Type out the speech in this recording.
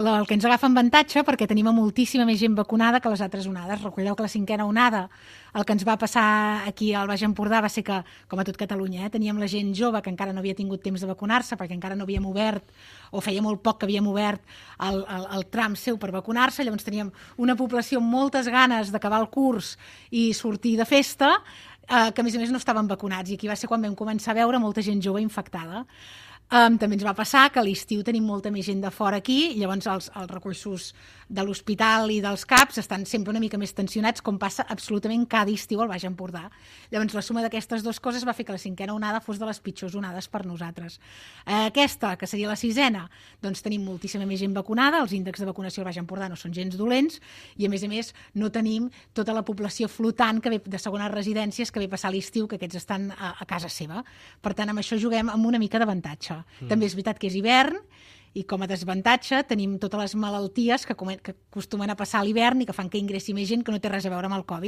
El que ens agafa en avantatge perquè tenim moltíssima més gent vacunada que les altres onades. Recordeu que la 5a onada, el que ens va passar aquí al Baix Empordà va ser que, com a tot Catalunya, teníem la gent jove que encara no havia tingut temps de vacunar-se perquè encara no havíem obert, o feia molt poc que havíem obert el tram seu per vacunar-se, llavors teníem una població amb moltes ganes d'acabar el curs i sortir de festa, que a més no estaven vacunats, i aquí va ser quan vam començar a veure molta gent jove infectada. També ens va passar que a l'estiu tenim molta més gent de fora aquí, i llavors els recursos de l'hospital i dels CAPs estan sempre una mica més tensionats, com passa absolutament cada estiu al Baix Empordà. Llavors la suma d'aquestes dues coses va fer que la 5a onada fos de les pitjors onades per nosaltres. Aquesta, que seria la 6a, doncs tenim moltíssima més gent vacunada, els índexs de vacunació al Baix Empordà no són gens dolents, i a més no tenim tota la població flotant que ve de segones residències que ve passar l'estiu, que aquests estan a casa seva. Per tant, amb això juguem amb una mica d'avantatge. També és veritat que és hivern, i com a desavantatge tenim totes les malalties que acostumen a passar a l'hivern i que fan que ingressi més gent que no té res a veure amb el Covid.